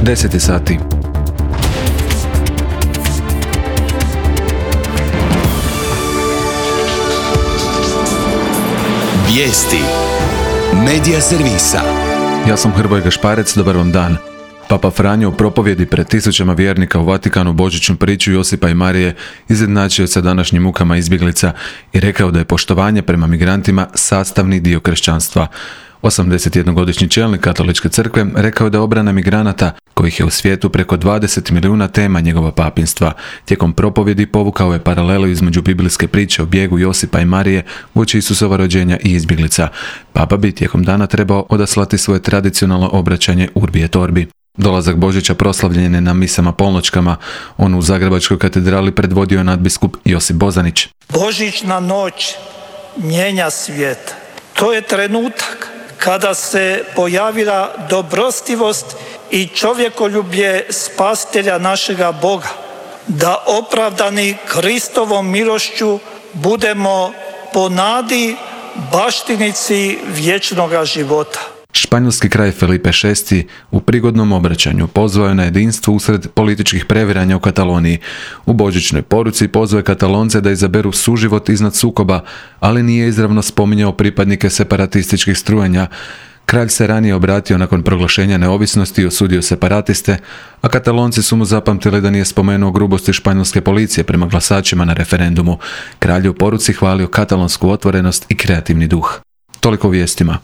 10 sati. Vijesti Medija servisa. Ja sam Hrvoje Gašparec, dobar vam dan. Papa Franjo u propovjedi pred tisućama vjernika u Vatikanu božićnu priču Josipa i Marije izjednačio sa današnjim mukama izbjeglica i rekao da je poštovanje prema migrantima sastavni dio kršćanstva. 81-godišnji čelnik Katoličke crkve rekao da je obrana migranata, kojih je u svijetu preko 20 milijuna, tema njegova papinstva. Tijekom propovjedi povukao je paralelu između biblijske priče o bijegu Josipa i Marije uoči Isusova rođenja i izbjeglica. Papa bi tijekom dana trebao odaslati svoje tradicionalno obraćanje Urbi et Orbi. Dolazak Božića proslavljen je na misama polnoćkama. On u Zagrebačkoj katedrali predvodio je nadbiskup Josip Bozanić. Božićna noć mijenja svijet. To je trenutak kada se pojavila dobrostivost i čovjekoljublje spasitelja našega Boga, da opravdani Kristovom milošću budemo po nadi baštinici vječnoga života. Španjolski kralj Felipe VI u prigodnom obraćanju pozvao je na jedinstvo usred političkih previranja u Kataloniji. U božićnoj poruci pozvao je Katalonce da izaberu suživot iznad sukoba, ali nije izravno spominjao pripadnike separatističkih strujenja. Kralj se ranije obratio nakon proglašenja neovisnosti i osudio separatiste, a Katalonci su mu zapamtili da nije spomenuo grubosti španjolske policije prema glasačima na referendumu. Kralj je u poruci hvalio katalonsku otvorenost i kreativni duh. Toliko o vijestima.